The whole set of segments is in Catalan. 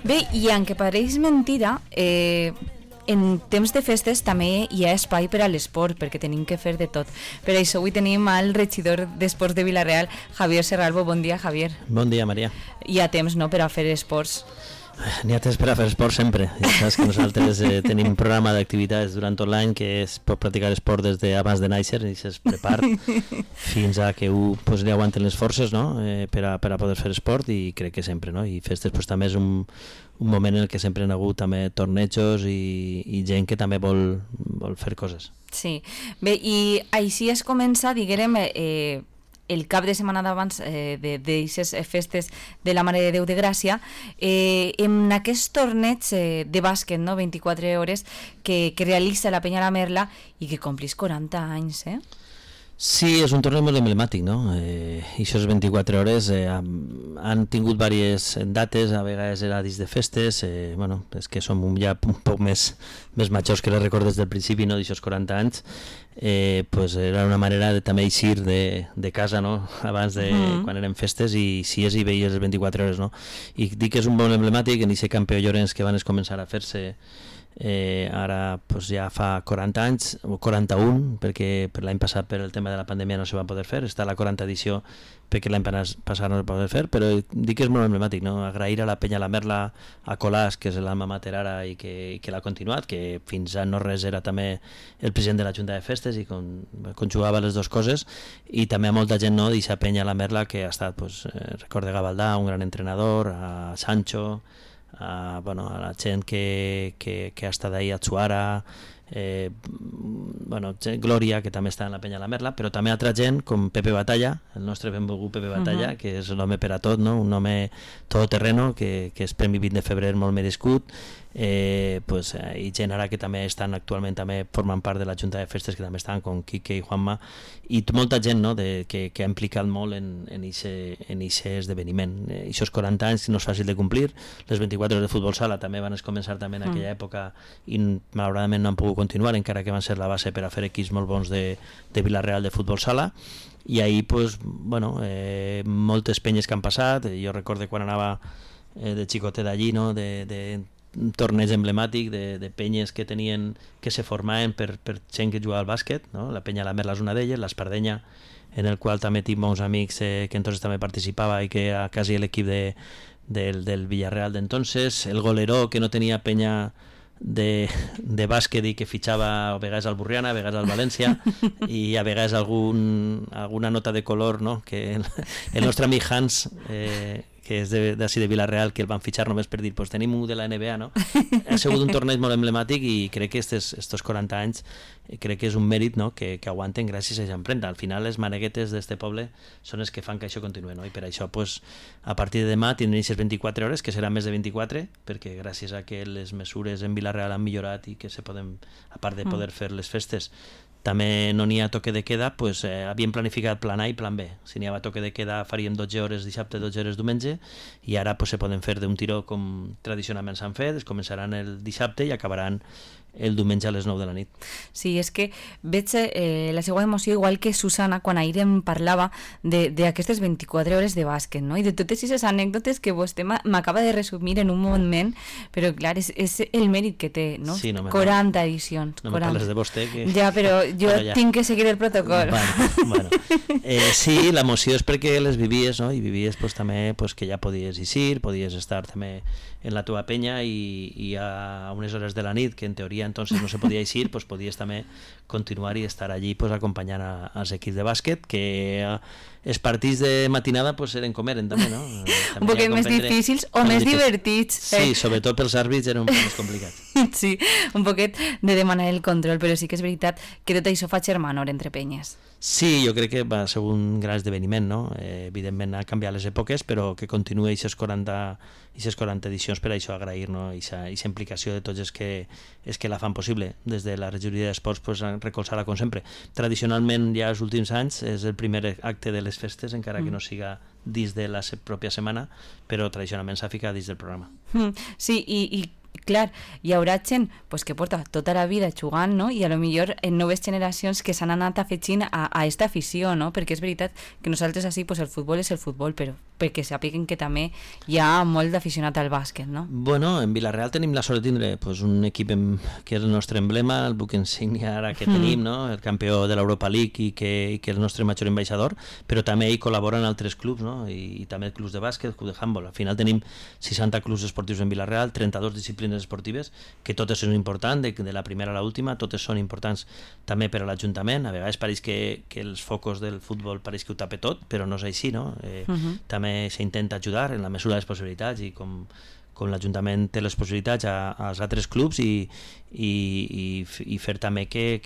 Bé, i aunque pareix mentira, en temps de festes també hi ha espai per a l'esport, perquè tenim que fer de tot. Per això avui tenim al regidor d'Esports de Vila-real, Javier Serralbo. Bon dia, Javier. Bon dia, Maria. Hi ha temps, no?, per a fer esports. N'hi ha temps per a fer esport sempre. Ja saps que nosaltres tenim un programa d'activitats durant tot l'any que es pot practicar esport des d'abans de néixer i es prepara fins a que li aguanten les forces, no? per a poder fer esport, i crec que sempre, no? I festes també és un moment en què sempre han hagut també tornejos i gent que també vol fer coses. Sí. Bé, i així es comença, diguem, el cap de setmana d'abans d'aquestes festes de la Mare de Déu de Gràcia, en aquest torneig de bàsquet, no? 24 hores, que realitza la Penya La Merla i que complís 40 anys, Sí, és un torneig molt emblemàtic, no? I això és 24 hores, han tingut diverses dates, a vegades era dins de festes, bueno, és que som ja un poc més majors que les recordes del principi, no? D'aixòs 40 anys, pues era una manera de també eixir de casa, no? Abans de quan eren festes, i si és i veies les 24 hores, no? I dic que és un molt emblemàtic en aquest Campió Llorenç que van començar a fer-se ara pues ja fa 40 anys o 41, perquè per l'any passat per el tema de la pandèmia no se va poder fer, està la 40 edició perquè l'any passat no es va poder fer, però dic que és molt emblemàtic, no? Agrair a la Penya La Merla, a Colàs, que és l'alma mater ara i que l'ha continuat, que fins a no res era també el president de la Junta de Festes i conjugava les dues coses, i també a molta gent, no, d'eixa Penya La Merla que ha estat, pues, record de Gavaldà, un gran entrenador, a Sancho, a la gent que ha estat ahí, a Tsuara, Glòria, que també està en la Penya La Merla, però també altra gent com Pepe Batalla, el nostre benvolgut Pepe Batalla, que és l'home per a tot, no? Un home todoterreno, que és Premi 20 de febrer molt merescut, i gent ara que també estan actualment també formant part de la Junta de Festes, que també estan com Quique i Juanma, i molta gent, no? que ha implicat molt en aquest esdeveniment. Aquests 40 anys no és fàcil de complir. Les 24 hores de futbol sala també van començar també en aquella època i malauradament no han pogut continuar, encara que van ser la base per a fer equips molt bons de Vila-real de futbol sala, i ahir pues, moltes penyes que han passat. Jo recordo quan anava de xicotet allí, no? de un torneig emblemàtic de penyes que se formaven per gent que jugava al bàsquet, no? La Penya La Merla és una d'elles, l'Espardenya, en el qual també tinc bons amics que entonces també participava i que era quasi l'equip del Villarreal d'entonces, el Goleró, que no tenia penya de bàsquet i que fitxava a vegades al Burriana, a vegades al València, i a vegades alguna nota de color, no? Que el nostre amic Hans, que és d'ací de Vila-real, que el van fitxar només per dir, pues tenim un de la NBA, no? Ha sigut un torneig molt emblemàtic i crec que estos 40 anys crec que és un mèrit, no? que aguanten gràcies a aquesta empremta. Al final les maneguetes d'este poble són les que fan que això continuï, no? I per això pues, a partir de demà tindrem aquestes 24 hores, que seran més de 24, perquè gràcies a que les mesures en Vila-real han millorat i que se poden, a part de poder fer les festes, també no n'hi ha toque de queda, pues, havíem planificat plan A i plan B. Si n'hi havia toque de queda faríem 12 hores dissabte, 12 hores diumenge, i ara pues, se poden fer d'un tiró com tradicionalment s'han fet, es començaran el dissabte i acabaran el diumenge a les 9 de la nit. Sí, és que veig la seva emoció igual que Susana quan ahir em parlava d'aquestes 24 hores de bàsquet, no? I de totes aquestes anècdotes que vostè m'acaba de resumir en un moment, però clar, és el mèrit que té, no? Sí, 40 edicions. No me parles de vostè. Que... Ja, però jo tinc que seguir el protocol. Bueno. Sí, l'emoció és perquè les vivies, no? I vivies pues, també pues, que ja podies eixir, podies estar també en la teva penya i a unes hores de la nit, que en teoria entonces no se podia eixir, pues podies també continuar i estar allí pues, acompanyant als equips de bàsquet, que els partits de matinada pues, eren com eren també, no? També un poquet més difícils o més divertits. Sí, sobretot pels àrbits eren un poc més complicats. Sí, un poquet de demanar el control, però sí que és veritat que tot això fa germanor entre penyes. Sí, jo crec que va ser un gran esdeveniment, no? Evidentment ha canviat les èpoques, però que continua aquestes 40 edicions per això agrair, no? Aquesta implicació de tots els que la fan possible. Des de la regidoria d'esports pues, recolzar-la com sempre. Tradicionalment ja els últims anys és el primer acte de les festes, encara que no siga dins de la pròpia setmana, però tradicionalment s'ha ficat dins del programa. Sí, i Clar, hi haurà gent pues, que porta tota la vida jugant, no? I a lo millor en noves generacions que s'han anat afegint a esta afició, no? Perquè és veritat que nosaltres així pues, el futbol és el futbol, però perquè sàpiguen que també hi ha molt d'aficionat al bàsquet, no? Bueno, en Vilareal tenim la sort de tindre pues, un equip que és el nostre emblema, el buc insígnia ara que tenim, no? El campió de l'Europa League i que és el nostre major ambaixador, però també hi col·laboren altres clubs, no? I també clubs de bàsquet, club de handball. Al final tenim 60 clubs esportius en Vilareal, 32 disciplines esportives, que totes són importants, de la primera a l'última, totes són importants també per a l'Ajuntament. A vegades pareix que els focus del futbol pareix que ho tapa tot, però no és així, no? També s'intenta ajudar en la mesura de les possibilitats i com l'Ajuntament té les possibilitats als altres clubs i fer també que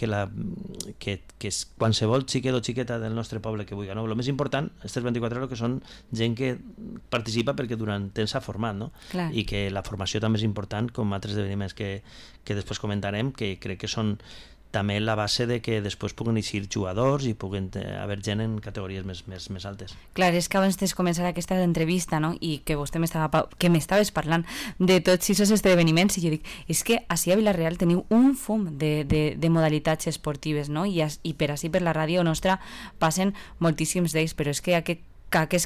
qualsevol xiquet o xiqueta del nostre poble que vulgui, no? El més important, aquestes 24 hores, que són gent que participa perquè durant temps s'ha format, no? Clar. I que la formació també és important, com altres esdeveniments que després comentarem, que crec que són també la base de que després puguen eixir jugadors i puguen haver gent en categories més altes. Clar, és que abans de començar aquesta entrevista, no? I que vostè m'estaves parlant de tots aquests esdeveniments, i jo dic, és que ací a Vilareal teniu un fum de modalitats esportives, no? I per així per la ràdio nostra passen moltíssims d'ells, però és que aquest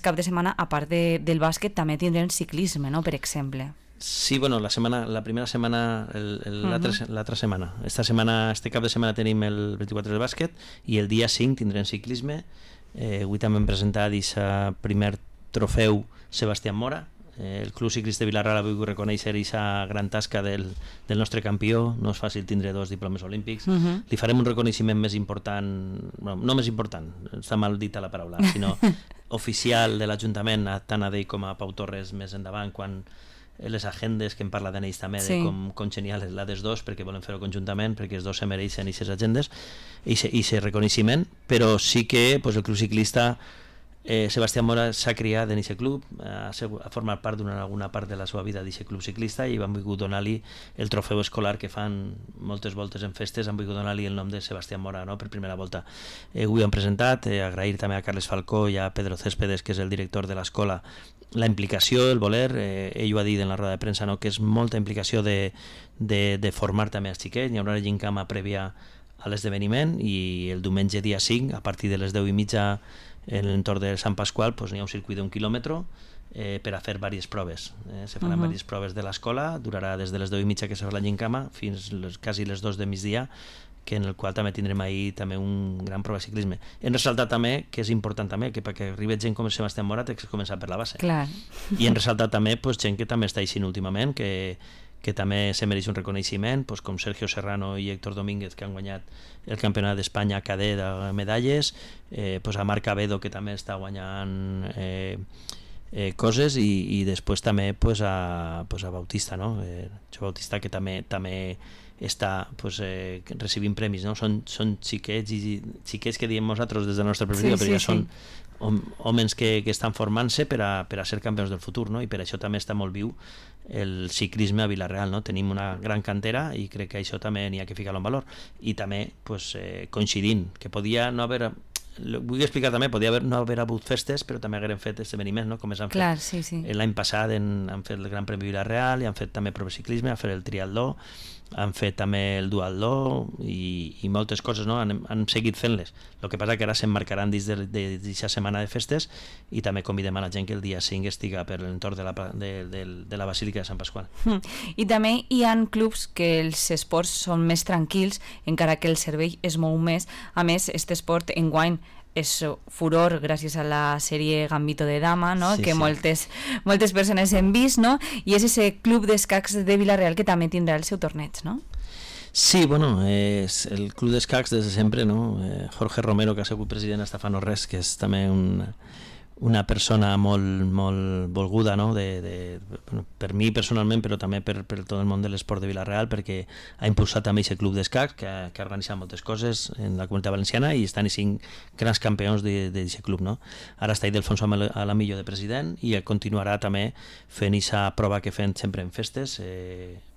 cap de setmana, a part del bàsquet, també tindrem ciclisme, no? Per exemple. Sí, bueno, la primera setmana, l'altra setmana. Este cap de setmana tenim el 24 de bàsquet i el dia 5 tindrem ciclisme. Avui també hem presentat aquest primer trofeu Sebastián Mora. El Club Ciclista de Vilareal avui vull reconèixer aquesta gran tasca del nostre campió. No és fàcil tindre 2 diplomes olímpics. Li farem un reconeixement més important, bueno, no més important, està mal dita la paraula, sinó oficial de l'Ajuntament, tant a ell com a Pau Torres més endavant, quan les agendes que en parla d'ells també, sí, de com genial és la dels dos, perquè volen fer-ho conjuntament, perquè els dos se mereixen aquestes agendes i aquest reconeixement. Però sí que pues, el Club Ciclista Sebastián Mora s'ha criat en aquest club, ha format part durant alguna part de la seva vida d'aquest club ciclista i han volgut donar-li el trofeu escolar que fan moltes voltes en festes, han volgut donar-li el nom de Sebastián Mora, no? Per primera volta. Avui han presentat, agrair també a Carles Falcó i a Pedro Céspedes, que és el director de l'escola, la implicació, el voler, ell ho ha dit en la roda de premsa, no? Que és molta implicació de formar també els xiquets. Hi haurà una gincama prèvia a l'esdeveniment i el diumenge dia 5, a partir de les 10:30 en l'entorn de Sant Pasqual, pues, hi ha un circuit d'1 quilòmetre per a fer diverses proves. Se faran diverses proves de l'escola, durarà des de les 10:30 que se fa la gincama fins quasi les 2 de migdia, que en el qual també tindrem ahir també un gran prova de ciclisme. Hem ressaltat també, que és important també, que perquè arribi gent com Sebastián Mora té que començar per la base. Clar. I hem ressaltat també pues, gent que també està eixint últimament, que també se mereix un reconeixement, pues, com Sergio Serrano i Héctor Domínguez, que han guanyat el Campionat d'Espanya cadet de medalles, pues, a Marc Abedo, que també està guanyant coses, i després també pues, a Bautista, no? Jo Bautista, que també està pues, recibint premis, no? Són xiquets que diem nosaltres des de la nostra perspectiva, però ja són homes que estan formant-se per a ser campions del futur, no? I per això també està molt viu el ciclisme a Vilareal, no? Tenim una gran cantera i crec que això també n'hi ha que ficar-lo en valor. I també pues, coincidint, que podia no haver... Vull explicar també, podia no haver hagut festes, però també hagueren fet esdeveniments, no? Com es han fet. Sí. L'any passat han fet el Gran Premi Vilareal i han fet també prova de ciclisme, han fet el triatló, han fet també el duatló i moltes coses, no? Han seguit fent-les. El que passa que ara s'emmarcaran dins d'aquesta setmana de festes i també convidem a la gent que el dia 5 estiga per l'entorn de la Basílica de Sant Pasqual. I també hi ha clubs que els esports són més tranquils, encara que el cervell es mou més. A més, aquest esport enguany és furor gràcies a la sèrie Gambito de Dama, no? Que moltes persones hem vist, no? I és ese club d'escacs de Vilareal que també tindrà el seu torneig, no? Sí, bueno, és el club d'escacs des de sempre, no? Jorge Romero, que ha sigut president hasta fa no res, que és també una persona molt volguda, no? Per mi personalment, però també per tot el món de l'esport de Vilareal, perquè ha impulsat també aquest club d'escacs que ha organitzat moltes coses en la Comunitat Valenciana i estan 5 grans campions d'aquest club, no? Ara està Ildefonso Alamillo de president i continuarà també fent aquesta prova que fem sempre en festes,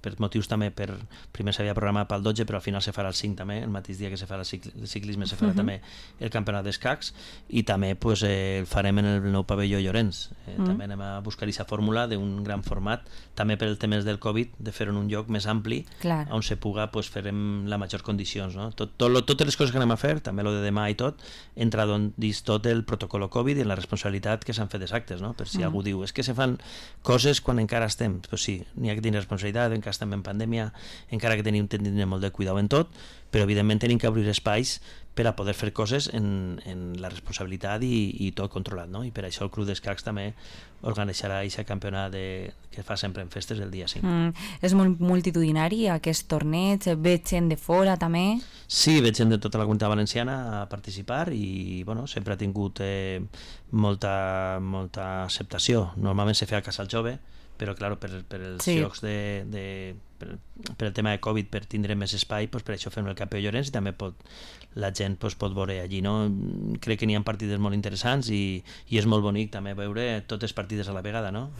per motius també, primer s'havia programat pel 12, però al final se farà el 5 també, el mateix dia que se farà el ciclisme se farà també el campionat d'escacs, i també pues, el farem en el nou pavelló Llorenç. També anem a buscar aquesta fórmula d'un gran format, també per el temes del Covid, de fer en un lloc més ampli, on se puga pues, fer en les majors condicions. No? Totes les coses que anem a fer, també lo de demà i tot, entra dins tot el protocol Covid i en la responsabilitat que s'han fet els actes, no? Per si algú diu, és que se fan coses quan encara estem, pues sí, n'hi ha que tenir responsabilitat, encara estem en pandèmia, encara que tenim molt de cuidado en tot, però evidentment tenim que obrir espais per a poder fer coses en la responsabilitat i tot controlat, no? I per això el Club d'Escacs també organitzarà aquest campionat que fa sempre en festes el dia 5. És molt multitudinari aquest torneig, veig gent de fora també? Sí, veig gent de tota la comunitat valenciana a participar i bueno, sempre ha tingut molta acceptació. Normalment se feia a Casal Jove, però clar, per els llocs per el tema de Covid, per tindre més espai, doncs per això fem el Campionat Llorenç i també la gent pot veure allí. No? Crec que n'hi ha partides molt interessants i és molt bonic també veure totes les partides a la vegada, no?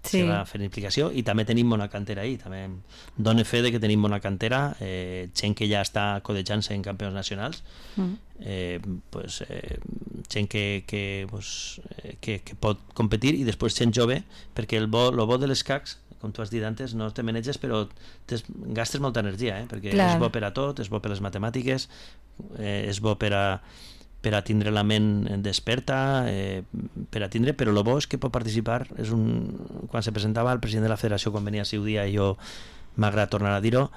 Se va fent implicació i també tenim bona cantera ahí, també dona fe de que tenim bona cantera, gent que ja està codejant-se en campionats nacionals, gent que pot competir i després gent jove, perquè el bo de l'escacs, com tu has dit antes, no te maneges però gastes molta energia, perquè és bo per a tot, és bo per les matemàtiques, és bo per a tindre la ment desperta, però el bo és que pot participar, quan se presentava el president de la federació quan venia a Ciudia, i jo m'agrada tornar a dir-ho,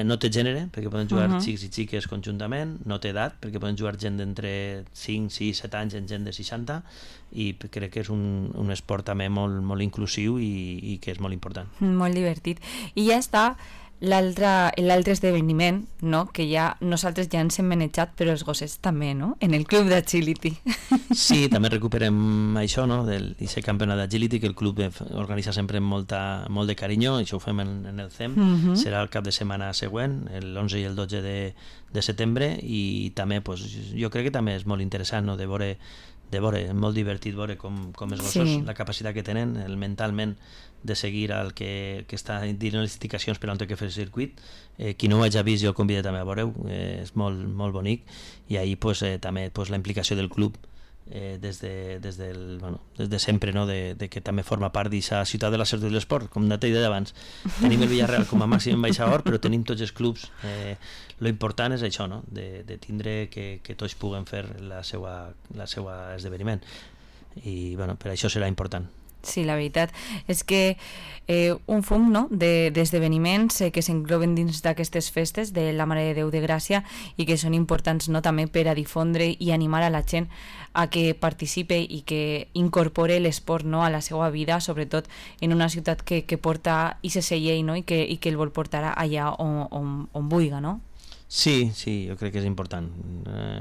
no té gènere, perquè poden jugar xics i xiques conjuntament, no té edat, perquè poden jugar gent d'entre 5, 6, 7 anys en gent de 60, i crec que és un esport també molt inclusiu i que és molt important. Molt divertit. I ja està l'altre esdeveniment, no? Que ja nosaltres ja ens hem manejat, però els gossets també, no? En el club d'Agility. Sí, també recuperem això, no? D'aquest campionat d'Agility que el club organitza sempre amb molt de carinyo, això ho fem en el CEM, serà el cap de setmana següent, l'11 i el 12 de setembre, i també jo crec que també és molt interessant, no? de veure, molt divertit veure com els gossos, la capacitat que tenen, mentalment, de seguir el que està dient les indicacions per on té que fer el circuit. Qui no ho hagi vist, jo el convido també a veure-ho, és molt bonic, i ahir també la implicació del club des de sempre, no? de que també forma part d'aquesta ciutat de la salut de l'esport, com t'he dit abans. Tenim el Villarreal com a màxim ambaixador, però tenim tots els clubs. Lo important és això, no? de tindre que tots puguen fer la seva esdeveniment, i per això serà important. Sí, la veritat és que un fum, no? d'esdeveniments que s'engloben dins d'aquestes festes de la Mare de Déu de Gràcia i que són importants, no? també per a difondre i animar a la gent a que participe i que incorpore l'esport, no? a la seva vida, sobretot en una ciutat que porta aquest llei, no? i que el vol portar allà on vulgui, no? Sí, jo crec que és important.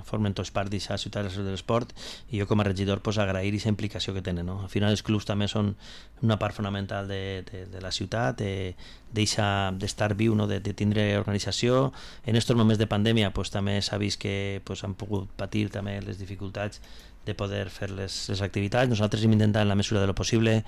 Formen tots part d'aquesta ciutat de l'esport, i jo com a regidor agrair aquesta implicació que tenen. No? Al final els clubs també són una part fonamental de la ciutat, d'estar viu, no? de tindre organització. En aquests moments de pandèmia també s'ha vist que han pogut patir també les dificultats de poder fer les activitats. Nosaltres hem intentat en la mesura de lo possible.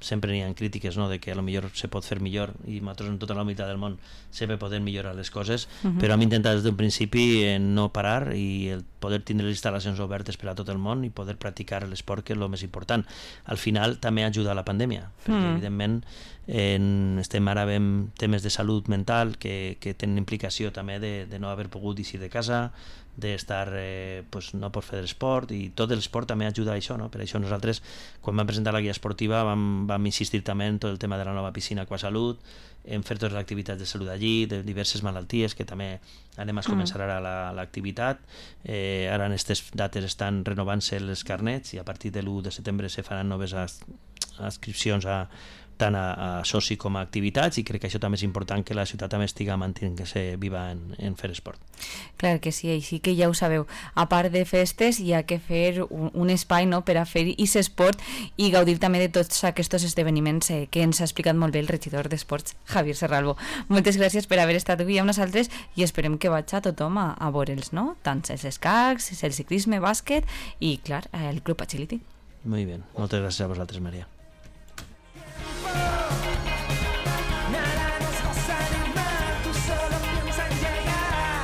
Sempre n'hi ha crítiques, no? de que potser se pot fer millor, i nosaltres en tota la unitat del món sempre podem millorar les coses, però hem intentat des d'un principi no parar i el poder tindre les instal·lacions obertes per a tot el món i poder practicar l'esport, que és el més important. Al final també ajuda a la pandèmia, perquè evidentment estem ara amb temes de salut mental que tenen implicació també de no haver pogut eixir de casa, d'estar, no pot fer l'esport, i tot l'esport també ajuda a això, no? Per això nosaltres, quan vam presentar la guia esportiva, vam insistir també en tot el tema de la nova piscina Aquasalut, en fer totes les activitats de salut allí, de diverses malalties, que també anem a començar ara l'activitat. Ara en aquestes dates estan renovant-se els carnets, i a partir de l'1 de setembre se faran noves adscripcions tant a soci com a activitats, i crec que això també és important, que la ciutat també estiga mantenint-se viva en fer esport. Clar que sí, així que ja ho sabeu, a part de festes hi ha que fer un espai, no?, per a fer aquest esport i gaudir també de tots aquests esdeveniments que ens ha explicat molt bé el regidor d'Esports, Javier Serralbo. Moltes gràcies per haver estat avui amb nosaltres, i esperem que vagi a tothom a veure'ls, no?, tant els escacs, el ciclisme, bàsquet i, clar, el Club Agility. Molt bé, moltes gràcies a vosaltres, Maria.